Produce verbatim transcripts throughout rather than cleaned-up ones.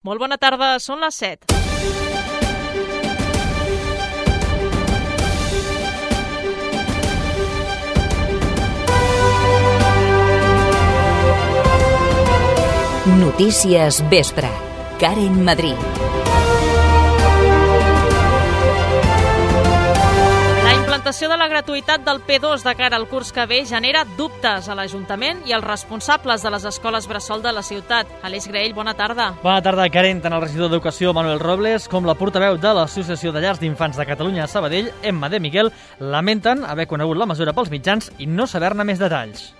Molt bona tarda, són les set. Notícies Vespre. Karen Madrid. La implantació de la gratuïtat del P dos de cara al curs que ve genera dubtes a l'Ajuntament i als responsables de les escoles bressol de la ciutat. Aleix Graell, bona tarda. Bona tarda, Karen. Tant el regidor d'Educació, Manuel Robles, com la portaveu de l'Associació de Llars d'Infants de Catalunya a Sabadell, Emma de Miguel, lamenten haver conegut la mesura pels mitjans i no saber-ne més detalls.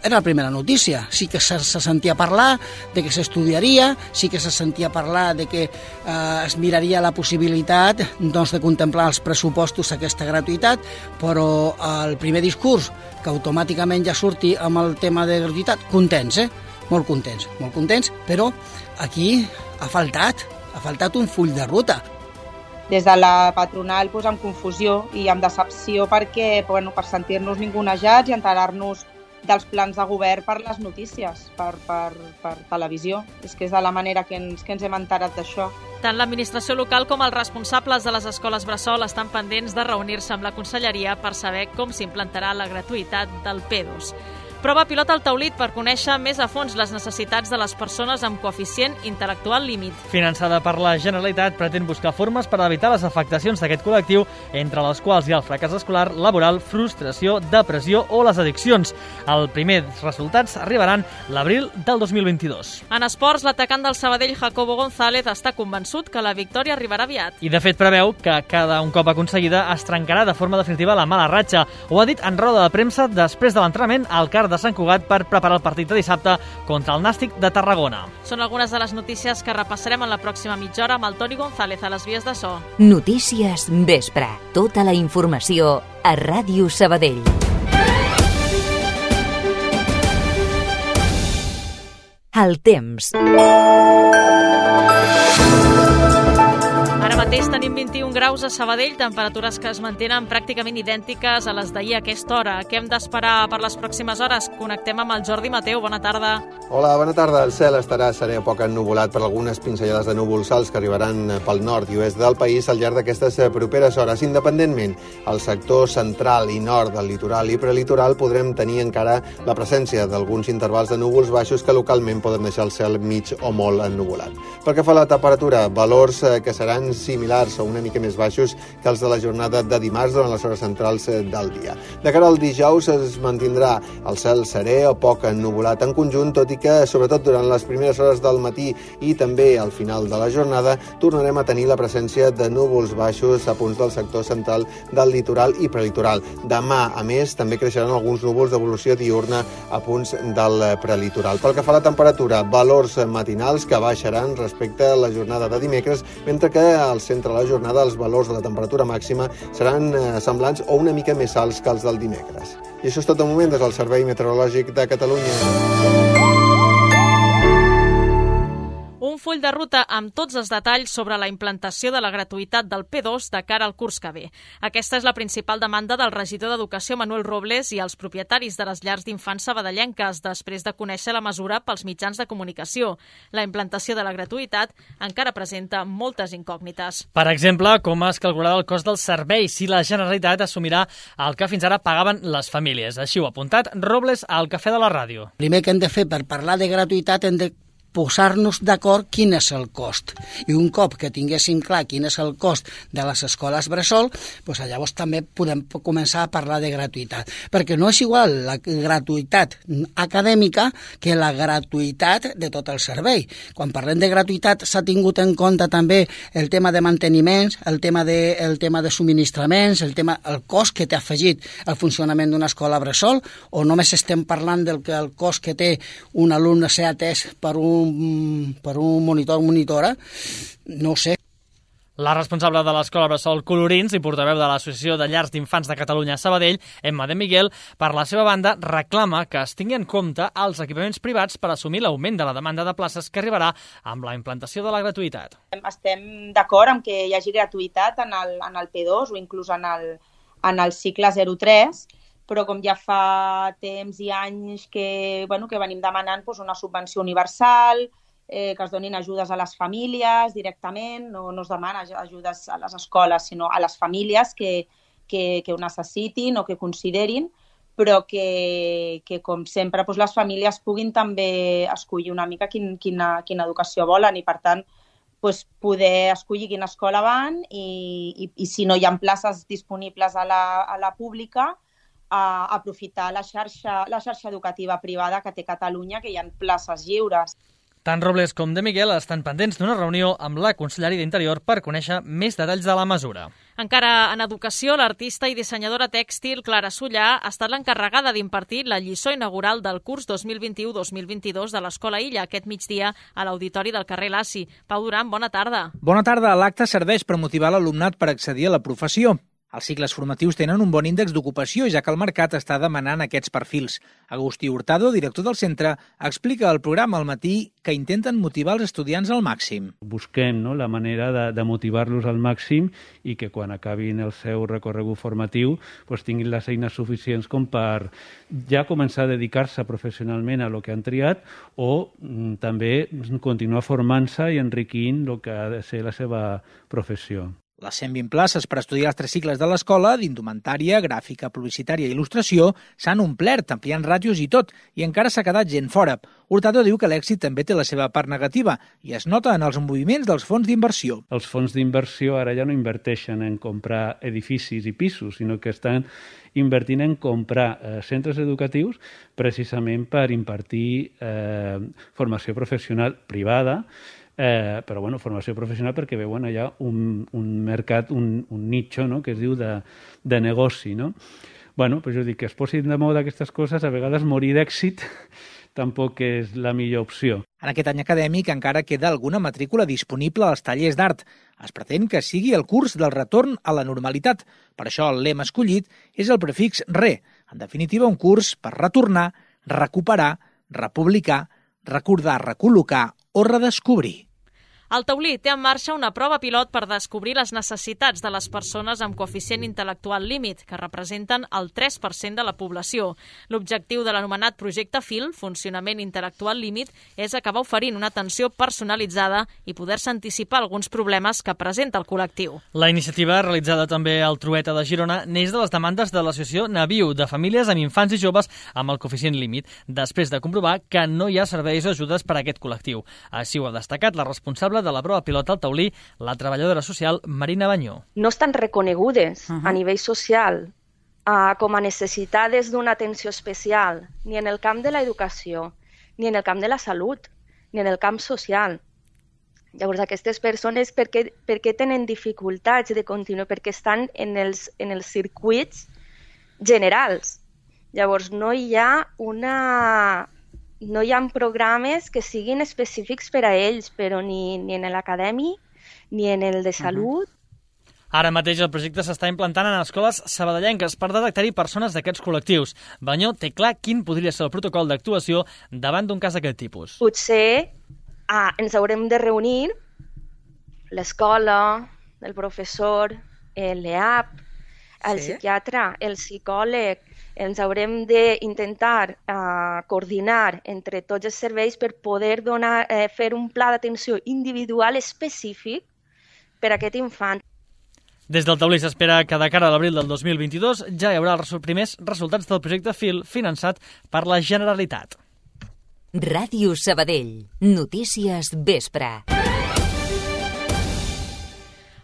Era la primera notícia, sí que se, se sentia parlar de que s'estudiaria, sí que se sentia parlar de que eh, es miraria la possibilitat doncs, de contemplar els pressupostos aquesta gratuïtat, però el primer discurs, que automàticament ja surti amb el tema de gratuïtat, contents, eh? Molt contents, molt contents, però aquí ha faltat, ha faltat un full de ruta. Des de la patronal pues, amb confusió i amb decepció perquè, bueno, per sentir-nos ningunejats i enterar-nos dels plans de govern per les notícies, per, per, per televisió. És que és de la manera que ens, que ens hem enterat d'això. Tant l'administració local com els responsables de les escoles bressol estan pendents de reunir-se amb la conselleria per saber com s'implantarà la gratuïtat del P dos. Prova pilot al Taulit per conèixer més a fons les necessitats de les persones amb coeficient intel·lectual límit. Finançada per la Generalitat, pretén buscar formes per evitar les afectacions d'aquest col·lectiu, entre les quals hi ha el fracàs escolar, laboral, frustració, depressió o les addiccions. Els primers resultats arribaran l'abril del dos mil vint-i-dos. En esports, l'atacant del Sabadell, Jacobo González, està convençut que la victòria arribarà aviat. I de fet preveu que cada un cop aconseguida es trencarà de forma definitiva la mala ratxa. Ho ha dit en roda de premsa després de l'entrenament al CAR de Sant Cugat per preparar el partit de dissabte contra el Nàstic de Tarragona. Són algunes de les notícies que repassarem en la pròxima mitja hora amb el Toni González a les vies de so. Notícies Vespre. Tota la informació a Ràdio Sabadell. El temps. Ara mateix tenim vint-i-un graus a Sabadell, temperatures que es mantenen pràcticament idèntiques a les d'ahir a aquesta hora. Què hem d'esperar per les pròximes hores? Connectem amb el Jordi Mateu. Bona tarda. Hola, bona tarda. El cel estarà serè poc ennuvolat per algunes pinzellades de núvols alts que arribaran pel nord i oest del país al llarg d'aquestes properes hores. Independentment, al sector central i nord del litoral i prelitoral podrem tenir encara la presència d'alguns intervals de núvols baixos que localment poden deixar el cel mig o molt ennuvolat. Pel que fa a la temperatura, valors que seran similars o una mica més baixos que els de la jornada de dimarts durant les hores centrals del dia. De cara al dijous es mantindrà el cel serè o poc ennuvolat en conjunt, tot i que, sobretot durant les primeres hores del matí i també al final de la jornada, tornarem a tenir la presència de núvols baixos a punts del sector central del litoral i prelitoral. Demà, a més, també creixeran alguns núvols d'evolució diurna a punts del prelitoral. Pel que fa a la temperatura, valors matinals que baixaran respecte a la jornada de dimecres, mentre que al centre de la jornada els valors de la temperatura màxima seran eh, semblants o una mica més alts que els del dimecres. I això és tot de moment des del Servei Meteorològic de Catalunya. Un full de ruta amb tots els detalls sobre la implantació de la gratuïtat del P dos de cara al curs que ve. Aquesta és la principal demanda del regidor d'Educació, Manuel Robles, i els propietaris de les llars d'infants sabadellenques, després de conèixer la mesura pels mitjans de comunicació. La implantació de la gratuïtat encara presenta moltes incògnites. Per exemple, com es calcularà el cost del servei si la Generalitat assumirà el que fins ara pagaven les famílies. Així ho ha apuntat Robles al Cafè de la Ràdio. Primer que hem de fer per parlar de gratuïtat hem de posar-nos d'acord quin és el cost. I un cop que tinguéssim clar quin és el cost de les escoles bressol, doncs llavors també podem començar a parlar de gratuïtat. Perquè no és igual la gratuïtat acadèmica que la gratuïtat de tot el servei. Quan parlem de gratuïtat s'ha tingut en compte també el tema de manteniments, el tema de, el tema de subministraments, el, tema, el cost que té afegit el funcionament d'una escola bressol, o només estem parlant del que el cost que té un alumne ser atès per un per un monitor monitora, no ho sé. La responsable de l'Escola Bressol Colorins i portaveu de l'Associació de Llars d'Infants de Catalunya a Sabadell, Emma de Miguel, per la seva banda, reclama que es tingui en compte els equipaments privats per assumir l'augment de la demanda de places que arribarà amb la implantació de la gratuïtat. Estem d'acord amb que hi hagi gratuïtat en el, en el P dos o inclús en el, en el cicle zero tres, però com ja fa temps i anys que, bueno, que venim demanant doncs, una subvenció universal eh, que es donin ajudes a les famílies directament, no, no es demana ajudes a les escoles, sinó a les famílies que, que, que ho necessitin o que considerin, però que, que com sempre, doncs les famílies puguin també escollir una mica quin, quina, quina educació volen i, per tant, doncs poder escollir quina escola van i, i, i si no hi ha places disponibles a la, a la pública, a aprofitar la xarxa, la xarxa educativa privada que té Catalunya, que hi ha places lliures. Tant Robles com de Miguel estan pendents d'una reunió amb la Conselleria d'Interior per conèixer més detalls de la mesura. Encara en educació, l'artista i dissenyadora tèxtil Clara Sullà ha estat l'encarregada d'impartir la lliçó inaugural del curs dos mil vint-i-u dos mil vint-i-dos de l'Escola Illa aquest migdia a l'Auditori del carrer Laci. Pau Duran, bona tarda. Bona tarda. L'acte serveix per motivar l'alumnat per accedir a la professió. Els cicles formatius tenen un bon índex d'ocupació, ja que el mercat està demanant aquests perfils. Agustí Hurtado, director del centre, explica al programa al matí que intenten motivar els estudiants al màxim. Busquem, no?, la manera de, de motivar-los al màxim i que quan acabin el seu recorregut formatiu pues, tinguin les eines suficients com per ja començar a dedicar-se professionalment a lo que han triat o mm, també continuar formant-se i enriquint el que ha de ser la seva professió. Les cent vint places per estudiar els tres cicles de l'escola, d'indumentària, gràfica, publicitària i il·lustració, s'han omplert, ampliant ràtios i tot, i encara s'ha quedat gent fora. Hurtado diu que l'èxit també té la seva part negativa i es nota en els moviments dels fons d'inversió. Els fons d'inversió ara ja no inverteixen en comprar edificis i pisos, sinó que estan invertint en comprar eh, centres educatius precisament per impartir eh, formació professional privada, Eh, però bueno, formació professional perquè veuen allà un, un mercat, un, un nicho, no?, que es diu de, de negoci, no? Bueno, pues jo dic que es posin de moda aquestes coses, a vegades morir d'èxit tampoc és la millor opció. En aquest any acadèmic encara queda alguna matrícula disponible als tallers d'art. Es pretén que sigui el curs del retorn a la normalitat. Per això el lema escollit és el prefix re. En definitiva, un curs per retornar, recuperar, republicar, recordar, recol·locar o redescobrir. El Taulí té en marxa una prova pilot per descobrir les necessitats de les persones amb coeficient intel·lectual límit, que representen el tres per cent de la població. L'objectiu de l'anomenat projecte F I L, Funcionament Intel·lectual Límit, és acabar oferint una atenció personalitzada i poder-se anticipar alguns problemes que presenta el col·lectiu. La iniciativa, realitzada també al Trueta de Girona, neix de les demandes de l'associació Naviu, de famílies amb infants i joves amb el coeficient límit, després de comprovar que no hi ha serveis o ajudes per a aquest col·lectiu. Així ho ha destacat la responsable de la prova pilot al Taulí, la treballadora social Marina Banyó. No estan reconegudes uh-huh. a nivell social uh, com a necessitades d'una atenció especial, ni en el camp de l'educació, ni en el camp de la salut, ni en el camp social. Llavors, aquestes persones, per què, per què tenen dificultats de continuar? Perquè estan en els, en els circuits generals. Llavors, no hi ha una... No hi ha programes que siguin específics per a ells, però ni, ni en l'acadèmic, ni en el de salut. Uh-huh. Ara mateix el projecte s'està implantant en escoles sabadellenques per detectar-hi persones d'aquests col·lectius. Banyó té clar quin podria ser el protocol d'actuació davant d'un cas d'aquest tipus. Potser ah, ens haurem de reunir l'escola, el professor, l'E A P, el sí? psiquiatre, el psicòleg. Ens haurem d'intentar uh, coordinar entre tots els serveis per poder donar, eh, fer un pla d'atenció individual específic per a aquest infant. Des del Taulí s'espera que de cara a l'abril del dos mil vint-i-dos ja hi haurà els primers resultats del projecte F I L finançat per la Generalitat. Ràdio Sabadell. Notícies vespre.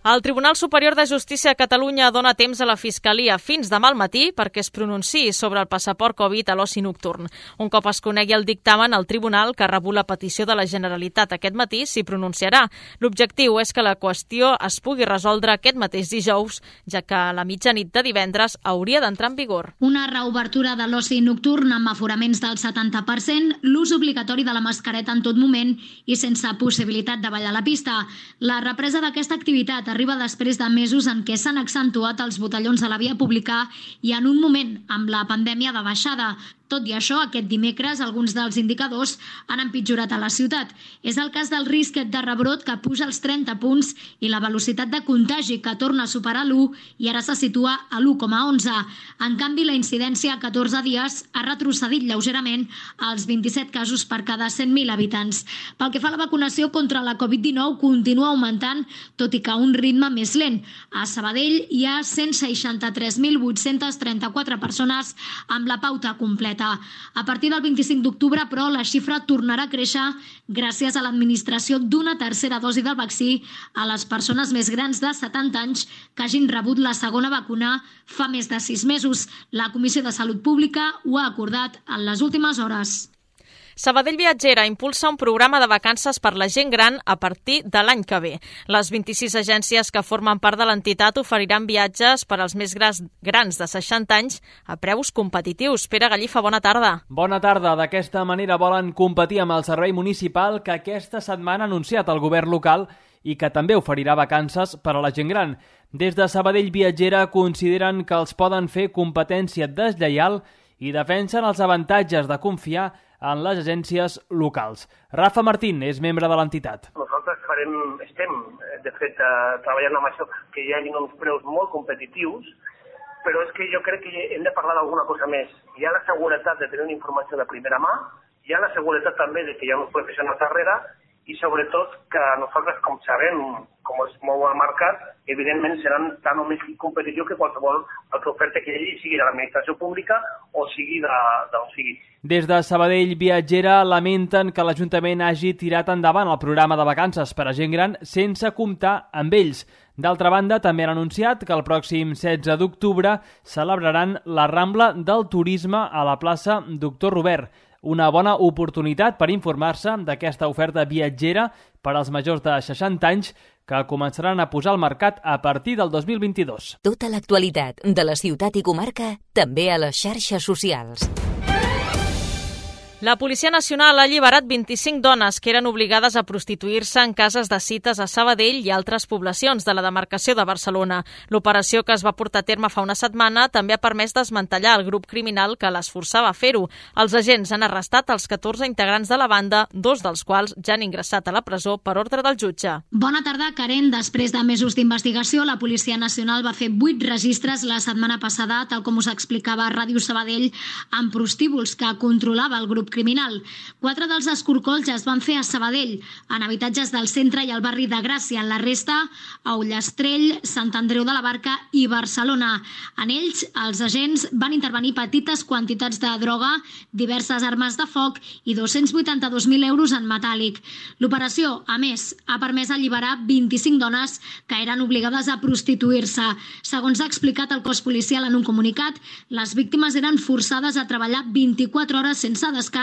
El Tribunal Superior de Justícia de Catalunya dona temps a la Fiscalia fins demà al matí perquè es pronunciï sobre el passaport Covid a l'oci nocturn. Un cop es conegui el dictamen, el Tribunal, que ha rebut la petició de la Generalitat aquest matí, s'hi pronunciarà. L'objectiu és que la qüestió es pugui resoldre aquest mateix dijous, ja que a la mitjanit de divendres hauria d'entrar en vigor. Una reobertura de l'oci nocturn amb aforaments del setanta per cent, l'ús obligatori de la mascareta en tot moment i sense possibilitat de ballar a la pista. La represa d'aquesta activitat arriba després de mesos en què s'han accentuat els botellons a la via pública i en un moment amb la pandèmia de baixada. Tot i això, aquest dimecres alguns dels indicadors han empitjorat a la ciutat. És el cas del risc de rebrot, que puja als trenta punts, i la velocitat de contagi, que torna a superar l'u i ara se situa a l'u coma onze. En canvi, la incidència a catorze dies ha retrocedit lleugerament als vint-i-set casos per cada cent mil habitants. Pel que fa a la vacunació contra la covid dinou, continua augmentant, tot i que a un ritme més lent. A Sabadell hi ha cent seixanta-tres mil vuit-cents trenta-quatre persones amb la pauta completa. A partir del vint-i-cinc d'octubre, però, la xifra tornarà a créixer gràcies a l'administració d'una tercera dosi del vaccí a les persones més grans de setanta anys que hagin rebut la segona vacuna fa més de sis mesos. La Comissió de Salut Pública ho ha acordat en les últimes hores. Sabadell Viatgera impulsa un programa de vacances per la gent gran a partir de l'any que ve. Les vint-i-sis agències que formen part de l'entitat oferiran viatges per als més grans de seixanta anys a preus competitius. Pere Gallifa, bona tarda. Bona tarda. D'aquesta manera volen competir amb el servei municipal que aquesta setmana ha anunciat el govern local i que també oferirà vacances per a la gent gran. Des de Sabadell Viatgera consideren que els poden fer competència deslleial i defensen els avantatges de confiar en les agències locals. Rafa Martín és membre de l'entitat. Nosaltres farem, estem, de fet, treballant amb això, que hi hagi uns preus molt competitius, però és que jo crec que hem de parlar d'alguna cosa més. Hi ha la seguretat de tenir una informació de primera mà, hi ha la seguretat també de que hi ha uns professionals darrere, i sobretot que nosaltres, com sabem, com es mou el mercat, evidentment seran tan o més competitius que qualsevol altra oferta que hi hagi, sigui de l'administració pública o sigui d'on sigui. Des de Sabadell Viatgera lamenten que l'Ajuntament hagi tirat endavant el programa de vacances per a gent gran sense comptar amb ells. D'altra banda, també han anunciat que el pròxim setze d'octubre celebraran la Rambla del Turisme a la plaça Doctor Robert. Una bona oportunitat per informar-se d'aquesta oferta viatgera per als majors de seixanta anys que començaran a posar al mercat a partir del dos mil vint-i-dos. Tota l'actualitat de la ciutat i comarca també a les xarxes socials. La Policia Nacional ha alliberat vint-i-cinc dones que eren obligades a prostituir-se en cases de cites a Sabadell i altres poblacions de la demarcació de Barcelona. L'operació, que es va portar a terme fa una setmana, també ha permès desmantellar el grup criminal que les forçava a fer-ho. Els agents han arrestat els catorze integrants de la banda, dos dels quals ja han ingressat a la presó per ordre del jutge. Bona tarda, Karen. Després de mesos d'investigació, la Policia Nacional va fer vuit registres la setmana passada, tal com us explicava a Ràdio Sabadell, amb prostíbuls que controlava el grup criminal. Quatre dels escorcolls es van fer a Sabadell, en habitatges del centre i al barri de Gràcia. La resta a Ullastrell, Sant Andreu de la Barca i Barcelona. En ells, els agents van intervenir petites quantitats de droga, diverses armes de foc i dos-cents vuitanta-dos mil euros en metàl·lic. L'operació, a més, ha permès alliberar vint-i-cinc dones que eren obligades a prostituir-se. Segons ha explicat el cos policial en un comunicat, les víctimes eren forçades a treballar vint-i-quatre hores sense descans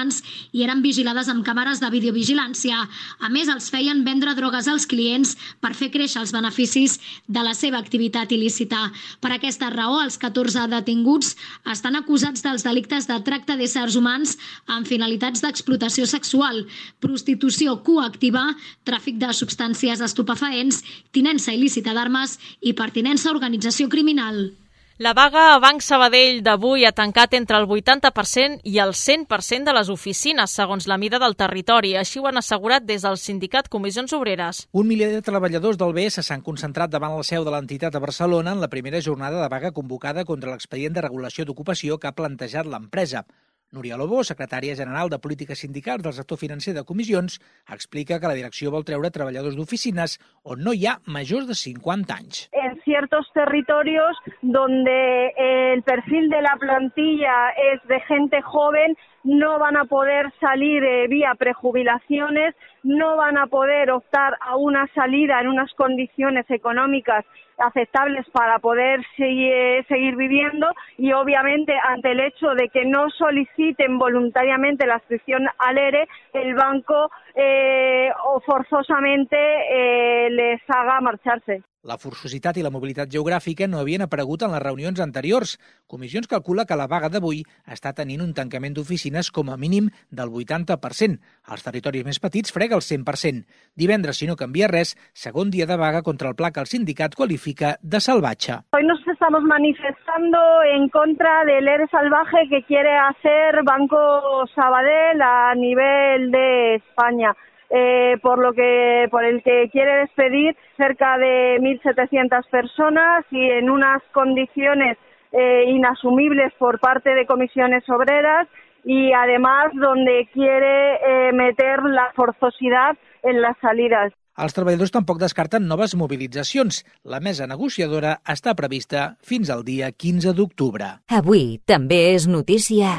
i eren vigilades amb càmeres de videovigilància. A més, els feien vendre drogues als clients per fer créixer els beneficis de la seva activitat il·lícita. Per aquesta raó, els catorze detinguts estan acusats dels delictes de tracte d'éssers humans amb finalitats d'explotació sexual, prostitució coactiva, tràfic de substàncies estupefaents, tinença il·lícita d'armes i pertinença a organització criminal. La vaga a Banc Sabadell d'avui ha tancat entre el vuitanta per cent i el cent per cent de les oficines, segons la mida del territori. Així ho han assegurat des del sindicat Comissions Obreres. Un miler de treballadors del B S s'han concentrat davant la seu de l'entitat a Barcelona en la primera jornada de vaga convocada contra l'expedient de regulació d'ocupació que ha plantejat l'empresa. Núria Lobo, secretària general de Polítiques Sindicals del sector financer de comissions, explica que la direcció vol treure treballadors d'oficines on no hi ha majors de cincuenta anys. En ciertos territorios donde el perfil de la plantilla es de gente joven, no van a poder salir eh, vía prejubilaciones, no van a poder optar a una salida en unas condiciones económicas aceptables para poder seguir, seguir viviendo y obviamente ante el hecho de que no soliciten voluntariamente la adscripción al E R E, el banco eh, o forzosamente eh, les haga marcharse. La forçositat i la mobilitat geogràfica no havien aparegut en les reunions anteriors. Comissions calcula que la vaga d'avui està tenint un tancament d'oficines veïnes com a mínim del vuitanta per cent. Als territoris més petits frega el cent per cent. Divendres, si no canvia res, segon dia de vaga contra el pla que el sindicat qualifica de salvatge. Hoy nos estamos manifestando en contra del E R E salvaje que quiere hacer Banco Sabadell a nivel de España. Eh, por lo que por el que quiere despedir cerca de mil setecientas personas y en unas condiciones eh, inasumibles por parte de comisiones obreras y además donde quiere eh, meter la forzosidad en las salidas. Els treballadors tampoc descarten noves mobilitzacions. La mesa negociadora està prevista fins al dia quinze d'octubre. Avui també és notícia.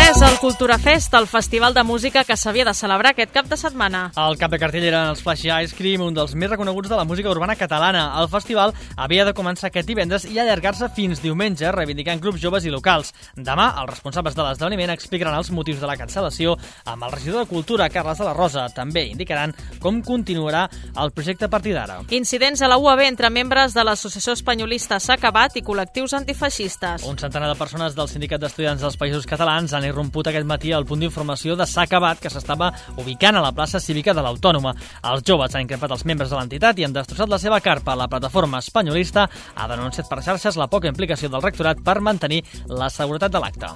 És el Cultura Fest, el festival de música que s'havia de celebrar aquest cap de setmana. El cap de cartell eren els Flashy Ice Cream, un dels més reconeguts de la música urbana catalana. El festival havia de començar aquest divendres i allargar-se fins diumenge, reivindicant grups joves i locals. Demà, els responsables de l'esdeveniment explicaran els motius de la cancel·lació amb el regidor de Cultura, Carles de la Rosa. També indicaran com continuarà el projecte a partir d'ara. Incidents a la U A B entre membres de l'Associació Espanyolista S'ha Acabat i col·lectius antifeixistes. Un centenar de persones del Sindicat d'Estudiants dels Països Catalans han irromput aquest matí al punt d'informació de S'ha Acabat, que s'estava ubicant a la plaça cívica de l'Autònoma. Els joves han increpat els membres de l'entitat i han destrossat la seva carpa. La plataforma espanyolista ha denunciat per xarxes la poca implicació del rectorat per mantenir la seguretat de l'acte.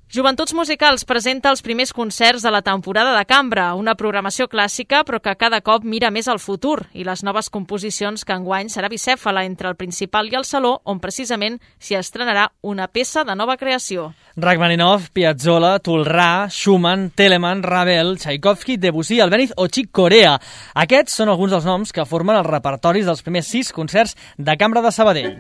Joventuts Musicals presenta els primers concerts de la temporada de cambra, una programació clàssica però que cada cop mira més al futur i les noves composicions que enguany serà bicèfala entre el Principal i el Saló, on precisament s'hi estrenarà una peça de nova creació. Rachmaninoff, Piazzolla, Toolrà, Schumann, Telemann, Ravel, Tchaikovsky, Debussy, Albéniz o Chick Corea. Aquests són alguns dels noms que formen els repertoris dels primers sis concerts de cambra de Sabadell.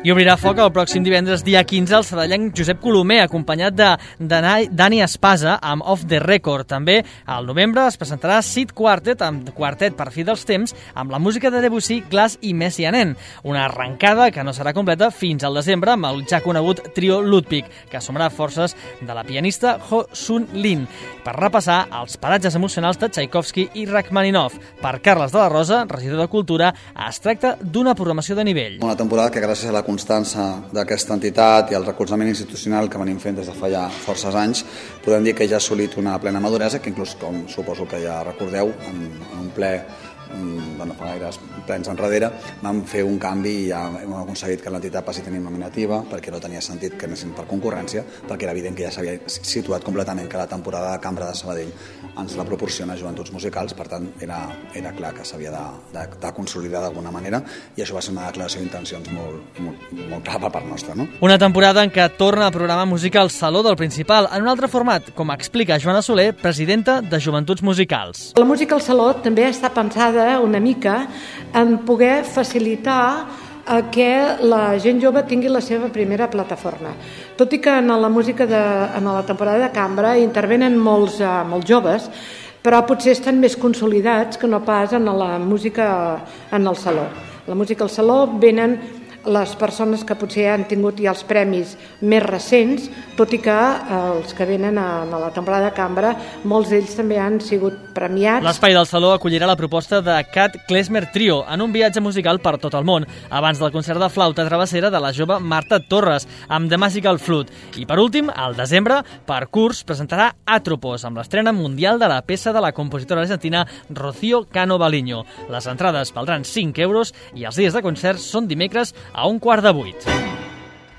I obrirà foc el pròxim divendres, dia quinze, el sabadellenc Josep Colomer, acompanyat de, de Dani Espasa amb Off the Record. També al novembre es presentarà Sid Quartet, amb quartet per fi dels temps, amb la música de Debussy, Glass i Messiaen. Una arrencada que no serà completa fins al desembre amb el ja conegut trio Ludwig, que assumirà forces de la pianista Ho Sun Lin, per repassar els paratges emocionals de Tchaikovsky i Rachmaninoff. Per Carles de la Rosa, regidor de Cultura, es tracta d'una programació de nivell. Una temporada que gràcies a la constança d'aquesta entitat i el recolzament institucional que venim fent des de fa ja forces anys, podem dir que ja ha assolit una plena maduresa, que inclús, com suposo que ja recordeu, en, en un ple bueno, fa gaires plens enrere, vam fer un canvi i ja hem aconseguit que l'entitat passi a tenir nominativa, perquè no tenia sentit que anessin per concurrència, perquè era evident que ja s'havia situat completament que la temporada de cambra de Sabadell ens la proporciona Joventuts Musicals, per tant era, era clar que s'havia de, de, de consolidar d'alguna manera, i això va ser una declaració d'intencions molt, molt, molt clara per part nostra. No? Una temporada en què torna a programar música al Saló del Principal, en un altre format, com explica Joana Soler, presidenta de Joventuts Musicals. La música al Saló també està pensada una mica en poder facilitar que la gent jove tingui la seva primera plataforma. Tot i que en la música de, en la temporada de cambra intervenen molts, uh, molts joves, però potser estan més consolidats que no pas en la música en el saló. La música al saló venen les persones que potser han tingut ja els premis més recents, tot i que els que venen a, a la temporada de cambra, molts d'ells també han sigut premiats. L'espai del Saló acollirà la proposta de Cat Klezmer Trio en un viatge musical per tot el món, abans del concert de flauta travessera de la jove Marta Torres, amb The Magical Flute. I per últim, al desembre, Percurs presentarà Atropos, amb l'estrena mundial de la peça de la compositora argentina Rocío Cano Baliño. Les entrades valdran cinc euros i els dies de concerts són dimecres a un quart de vuit.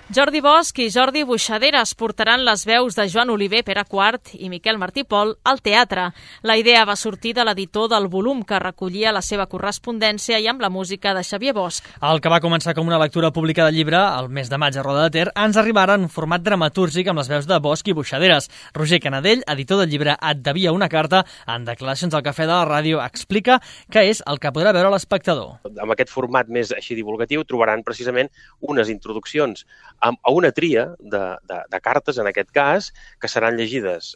Jordi Bosch i Jordi Buixaderes portaran les veus de Joan Oliver, Pere Quart i Miquel Martí Pol al teatre. La idea va sortir de l'editor del volum, que recollia la seva correspondència i amb la música de Xavier Bosch. El que va començar com una lectura pública de llibre el mes de maig a Roda de Ter ens arribarà en un format dramatúrgic amb les veus de Bosch i Buixaderes. Roger Canadell, editor del llibre Et devia una carta, en declaracions al Cafè de la Ràdio, explica què és el que podrà veure l'espectador. Amb aquest format més així divulgatiu trobaran precisament unes introduccions a una tria de, de, de cartes, en aquest cas, que seran llegides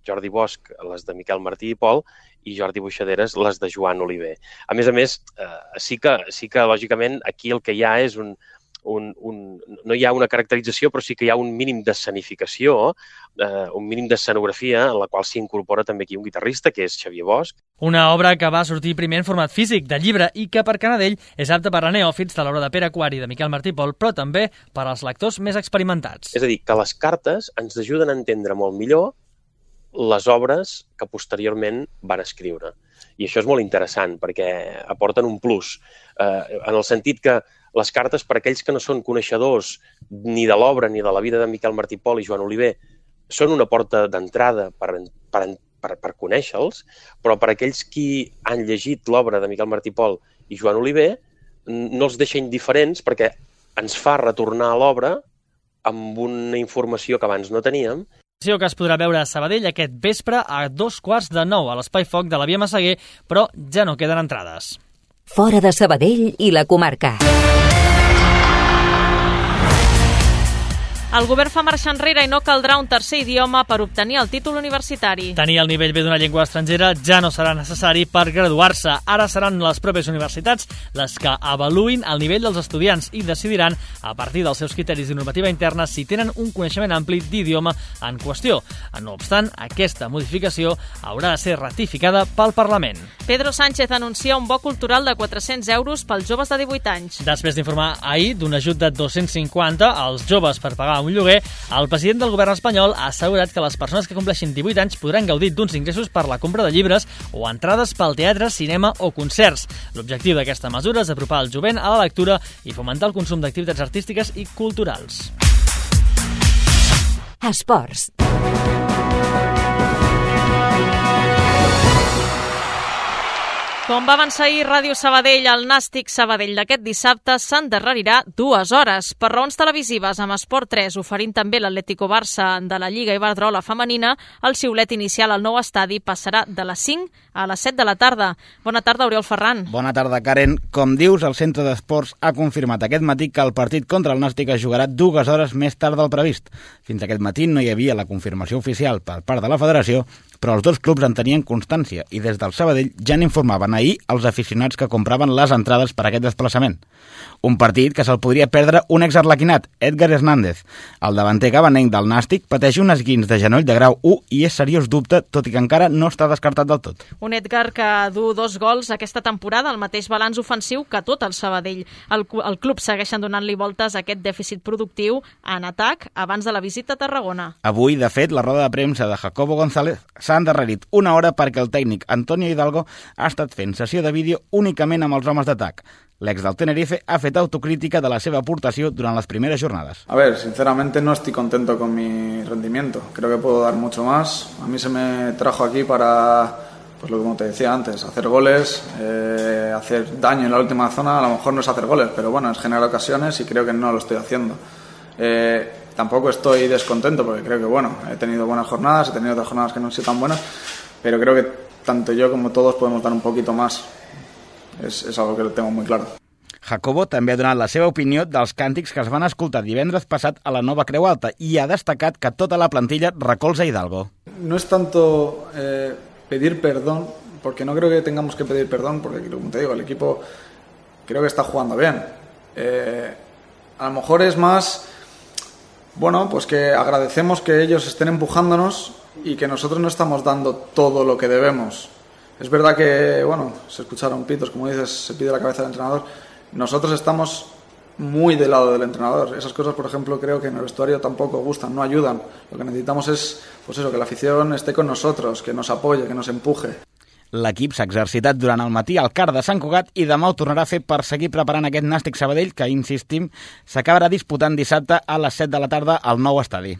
Jordi Bosch, les de Miquel Martí i Pol, i Jordi Buixaderes, les de Joan Oliver. A més a més, eh, sí, que, sí que, lògicament, aquí el que hi ha és un, un, un, no hi ha una caracterització, però sí que hi ha un mínim d'escenificació, eh, un mínim d'escenografia en la qual s'hi incorpora també aquí un guitarrista, que és Xavier Bosch. Una obra que va sortir primer en format físic, de llibre, i que per Canadell és apta per a neòfits de l'obra de Pere Quart i de Miquel Martí Pol, però també per als lectors més experimentats. És a dir, que les cartes ens ajuden a entendre molt millor les obres que posteriorment van escriure. I això és molt interessant perquè aporten un plus, eh, en el sentit que les cartes, per aquells que no són coneixedors ni de l'obra ni de la vida de Miquel Martí Pol i Joan Oliver, són una porta d'entrada per, per, per, per conèixer-los, però per aquells qui han llegit l'obra de Miquel Martí Pol i Joan Oliver no els deixa indiferents perquè ens fa retornar a l'obra amb una informació que abans no teníem. Que es podrà veure a Sabadell aquest vespre a dos quarts de nou a l'Espai Foc de la Via Massaguer, però ja no queden entrades. Fora de Sabadell i la comarca. El govern fa marxa enrere i no caldrà un tercer idioma per obtenir el títol universitari. Tenir el nivell B d'una llengua estrangera ja no serà necessari per graduar-se. Ara seran les pròpies universitats les que avaluïn el nivell dels estudiants i decidiran, a partir dels seus criteris de normativa interna, si tenen un coneixement ampli d'idioma en qüestió. No obstant, aquesta modificació haurà de ser ratificada pel Parlament. Pedro Sánchez anuncia un bo cultural de quatre-cents euros pels joves de divuit anys. Després d'informar ahir d'un ajut de dos-cents cinquanta als joves per pagar un lloguer, el president del govern espanyol ha assegurat que les persones que compleixin divuit anys podran gaudir d'uns ingressos per la compra de llibres o entrades pel teatre, cinema o concerts. L'objectiu d'aquesta mesura és apropar el jovent a la lectura i fomentar el consum d'activitats artístiques i culturals. Esports. Com va avançar ahir Ràdio Sabadell, el Nàstic Sabadell d'aquest dissabte s'endarrerirà dues hores. Per raons televisives, amb Esport tres oferint també l'Atlético Barça de la Lliga Iberdrola femenina, el xiulet inicial al nou estadi passarà de les cinc a les set de la tarda. Bona tarda, Oriol Ferran. Bona tarda, Karen. Com dius, el Centre d'Esports ha confirmat aquest matí que el partit contra el Nàstic es jugarà dues hores més tard del previst. Fins aquest matí no hi havia la confirmació oficial per part de la federació, però els dos clubs en tenien constància i des del Sabadell ja n'informaven ahir els aficionats que compraven les entrades per a aquest desplaçament. Un partit que se'l podria perdre un exarlequinat, Edgar Hernández. El davanter gabanenc del Nàstic pateix un esguins de genoll de grau u i és seriós dubte, tot i que encara no està descartat del tot. Un Edgar que du dos gols aquesta temporada, el mateix balanç ofensiu que tot el Sabadell. El, el club segueixen donant-li voltes a aquest dèficit productiu en atac abans de la visita a Tarragona. Avui, de fet, la roda de premsa de Jacobo González s'ha endarrerit una hora perquè el tècnic Antonio Hidalgo ha estat fent sessió de vídeo únicament amb els homes d'atac. L'ex del Tenerife ha fet autocrítica de la seva aportació durant las primeras jornadas. A ver, sinceramente no estoy contento con mi rendimiento. Creo que puedo dar mucho más. A mí se me trajo aquí para, pues lo que como te decía antes, hacer goles, eh, hacer daño en la última zona. A lo mejor no es hacer goles, pero bueno, es generar ocasiones y creo que no lo estoy haciendo. Eh, tampoco estoy descontento porque creo que bueno, he tenido buenas jornadas, he tenido otras jornadas que no han sido tan buenas, pero creo que tanto yo como todos podemos dar un poquito más. És, és algo que tengo muy claro. Jacobo també ha donat la seva opinió dels càntics que es van escoltar divendres passat a la Nova Creu Alta i ha destacat que tota la plantilla recolza Hidalgo. No es tanto eh, pedir perdón, porque no creo que tengamos que pedir perdón, porque como te digo, el equipo creo que está jugando bien. Eh, a lo mejor es más, bueno, pues que agradecemos que ellos estén empujándonos y que nosotros no estamos dando todo lo que debemos. Es verdad que, bueno, se escucharon pitos, como dices, se pide la cabeza del entrenador. Nosotros estamos muy del lado del entrenador. Esas cosas, por ejemplo, creo que en el vestuario tampoco gustan, no ayudan. Lo que necesitamos es, pues eso, que la afición esté con nosotros, que nos apoye, que nos empuje. L'equip s'ha exercitat durant el matí al Car de Sant Cugat i demà ho tornarà a fer per seguir preparant aquest Nàstic Sabadell que, insistim, s'acabarà disputant dissabte a les set de la tarda al nou estadi.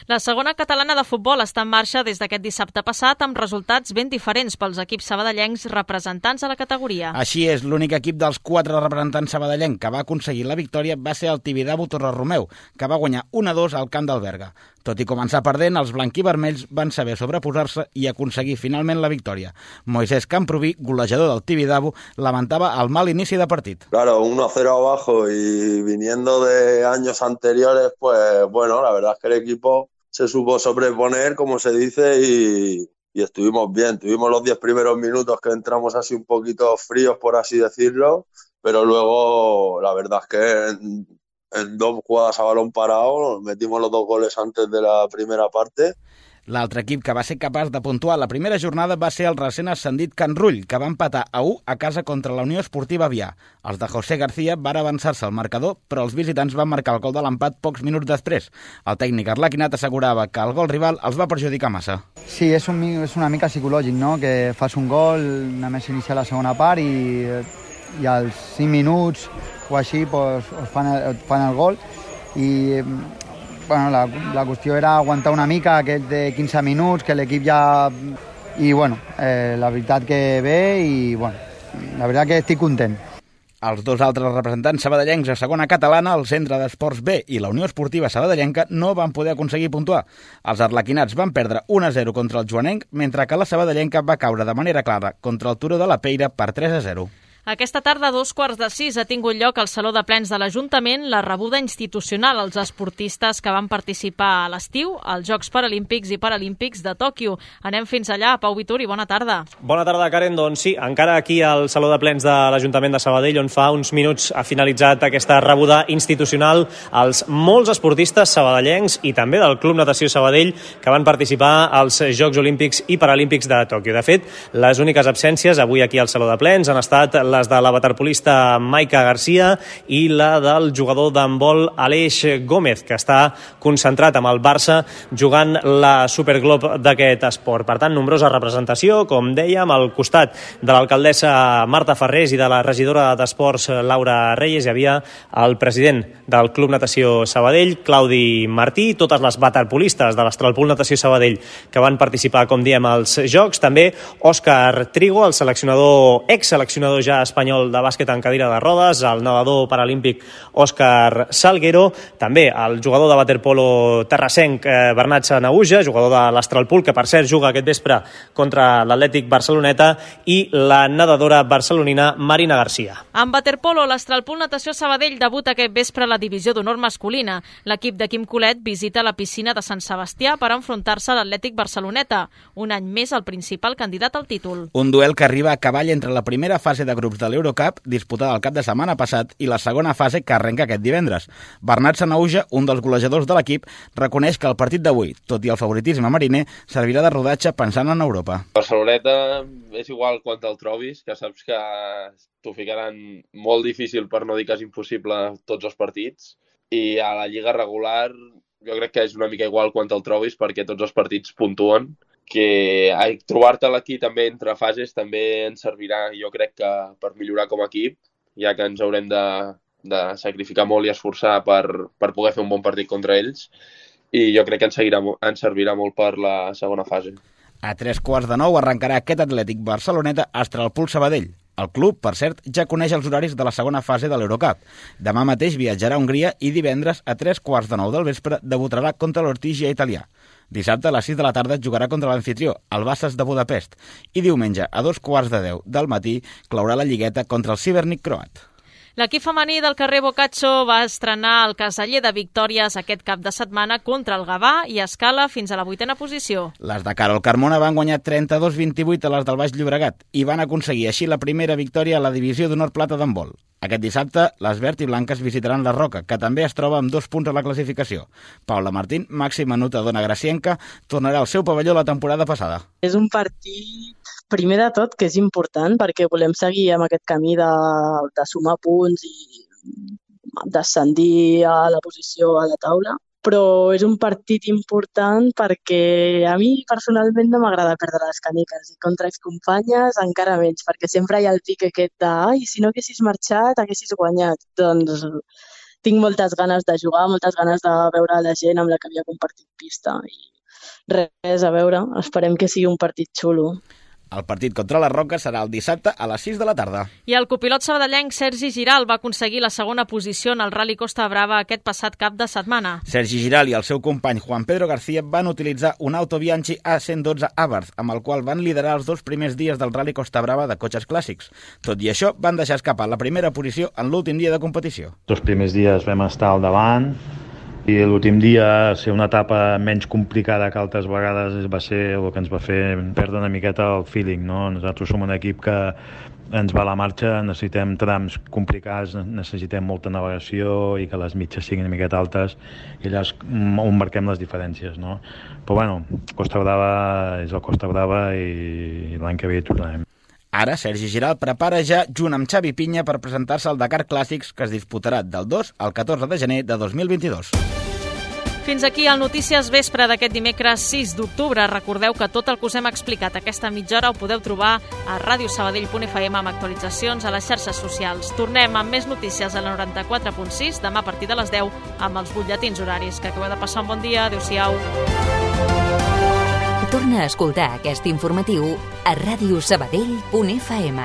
La segona catalana de futbol està en marxa des d'aquest dissabte passat amb resultats ben diferents pels equips sabadellencs representants a la categoria. Així és, l'únic equip dels quatre representants sabadellencs que va aconseguir la victòria va ser el Tibidabo Torre-Romeu, que va guanyar un a dos al camp del Berga. Tot i començar perdent, els blanquivermells van saber sobreposar-se i aconseguir finalment la victòria. Moisés Camproví, golejador del Tibidabo, lamentava el mal inici de partit. Claro, uno a cero abajo y viniendo de años anteriores, pues bueno, la verdad es que el equipo se supo sobreponer, como se dice, y, y estuvimos bien. Tuvimos los diez primeros minutos que entramos así un poquito fríos, por así decirlo, pero luego la verdad es que en dos jugadas a balón parado, metimos los dos goles antes de la primera parte. L'altre equip que va ser capaç de puntuar la primera jornada va ser el recent ascendit Can Rull, que va empatar a u a casa contra la Unió Esportiva Avià. Els de José García van avançar-se al marcador, però els visitants van marcar el gol de l'empat pocs minuts després. El tècnic arlequinat assegurava que el gol rival els va perjudicar massa. Sí, és, un, és una mica psicològic, no?, que fas un gol, només iniciar la segona part i, i als cinc minuts o així pues, us fan, el, fan el gol i bueno, la, la qüestió era aguantar una mica aquest de quinze minuts, que l'equip ja... I bueno, eh, la veritat que bé i bueno, la veritat que estic content. Els dos altres representants sabadellencs a segona catalana, el Centre d'Esports B i la Unió Esportiva Sabadellenca, no van poder aconseguir puntuar. Els arlequinats van perdre un a zero contra el joanenc, mentre que la sabadellenca va caure de manera clara contra el Turó de la Peira per tres a zero. Aquesta tarda, a dos quarts de sis, ha tingut lloc al Saló de Plens de l'Ajuntament la rebuda institucional als esportistes que van participar a l'estiu als Jocs Paralímpics i Paralímpics de Tòquio. Anem fins allà. Pau Vituri, bona tarda. Bona tarda, Karen. Doncs sí, encara aquí al Saló de Plens de l'Ajuntament de Sabadell, on fa uns minuts ha finalitzat aquesta rebuda institucional als molts esportistes sabadellencs i també del Club Natació Sabadell que van participar als Jocs Olímpics i Paralímpics de Tòquio. De fet, les úniques absències avui aquí al Saló de Plens han estat les de la waterpolista Maica Garcia i la del jugador d'handbol Aleix Gómez, que està concentrat amb el Barça jugant la Superglob d'aquest esport. Per tant, nombrosa representació, com dèiem, al costat de l'alcaldessa Marta Ferrés i de la regidora d'Esports Laura Reyes hi havia el president del Club Natació Sabadell, Claudi Martí, totes les waterpolistes de l'Astralpool Natació Sabadell que van participar, com diem, als Jocs, també Òscar Trigo, el seleccionador, ex-seleccionador ja espanyol de bàsquet en cadira de rodes, el nedador paralímpic Òscar Salguero, també el jugador de waterpolo terrassenc eh, Bernat Sanaüja, jugador de l'Astralpool, que per cert juga aquest vespre contra l'Atlètic Barceloneta, i la nedadora barcelonina Marina Garcia. En waterpolo, l'Astralpool Natació Sabadell debuta aquest vespre a la divisió d'honor masculina. L'equip de Quim Colet visita la piscina de Sant Sebastià per enfrontar-se a l'Atlètic Barceloneta, un any més el principal candidat al títol. Un duel que arriba a cavall entre la primera fase de grups de l'Eurocup, disputada el cap de setmana passat, i la segona fase que arrenca aquest divendres. Bernat Sanaüja, un dels golejadors de l'equip, reconeix que el partit d'avui, tot i el favoritisme mariner, servirà de rodatge pensant en Europa. Barceloneta és igual quan te'l trobis, que saps que t'ho ficaran molt difícil, per no dir que és impossible, tots els partits, i a la lliga regular jo crec que és una mica igual quan te'l trobis, perquè tots els partits puntuen, que trobar-te'l aquí també entre fases també ens servirà, jo crec que per millorar com a equip, ja que ens haurem de, de sacrificar molt i esforçar per, per poder fer un bon partit contra ells, i jo crec que ens, seguirà, ens servirà molt per la segona fase. A tres quarts de nou arrencarà aquest Atlètic Barceloneta Astralpool Sabadell. El club, per cert, ja coneix els horaris de la segona fase de l'Eurocup. Demà mateix viatjarà a Hongria i divendres a tres quarts de nou del vespre debutarà contra l'Ortigia italià. Dissabte a les sis de la tarda jugarà contra l'anfitrió, el Bassas de Budapest, i diumenge a dos quarts de deu del matí claurà la lligueta contra el Cibernik croat. L'equip femení del carrer Boccaccio va estrenar el caseller de victòries aquest cap de setmana contra el Gavà i escala fins a la vuitena posició. Les de Carol Carmona van guanyar trenta-dos a vint-i-vuit a les del Baix Llobregat i van aconseguir així la primera victòria a la divisió d'honor plata d'handbol. Aquest dissabte, les verd i blanques visitaran la Roca, que també es troba amb dos punts a la classificació. Paula Martín, màxima anotadora gracienca, tornarà al seu pavelló la temporada passada. És un partit, primer de tot, que és important perquè volem seguir amb aquest camí de, de sumar punts i descendir a la posició a la taula. Però és un partit important perquè a mi personalment no m'agrada perdre les caneques i contra excompanyes encara menys, perquè sempre hi ha el pic aquest de ai, si no haguessis marxat, haguessis guanyat. Doncs tinc moltes ganes de jugar, moltes ganes de veure la gent amb la que havia compartit pista i res, a veure, esperem que sigui un partit xulo. El partit contra la Roca serà el dissabte a les sis de la tarda. I el copilot sabadellenc Sergi Giral va aconseguir la segona posició en el Rally Costa Brava aquest passat cap de setmana. Sergi Giral i el seu company Juan Pedro García van utilitzar un Auto Bianchi A cent dotze Abarth, amb el qual van liderar els dos primers dies del Rally Costa Brava de cotxes clàssics. Tot i això, van deixar escapar la primera posició en l'últim dia de competició. Els primers dies vam estar al davant, i l'últim dia ser una etapa menys complicada que altres vegades va ser el que ens va fer perdre una miqueta el feeling, no? Nosaltres som un equip que ens va la marxa, necessitem trams complicats, necessitem molta navegació i que les mitges siguin una miqueta altes i allà és on marquem les diferències, no? Però bueno, Costa Brava és el Costa Brava i l'any que ve hi tornarem. Ara, Sergi Giral prepara ja, junt amb Xavi Pinya, per presentar-se al Dakar Clàssics, que es disputarà del dos al catorze de gener de dos mil vint-i-dos. Fins aquí el Notícies Vespre d'aquest dimecres sis d'octubre. Recordeu que tot el que us hem explicat aquesta mitja hora ho podeu trobar a radio sabadell punt f m amb actualitzacions a les xarxes socials. Tornem amb més notícies a la noranta-quatre punt sis demà a partir de les deu amb els butlletins horaris. Que acabeu de passar un bon dia. Adéu-siau. Torna a escoltar aquest informatiu a radio sabadell punt f m.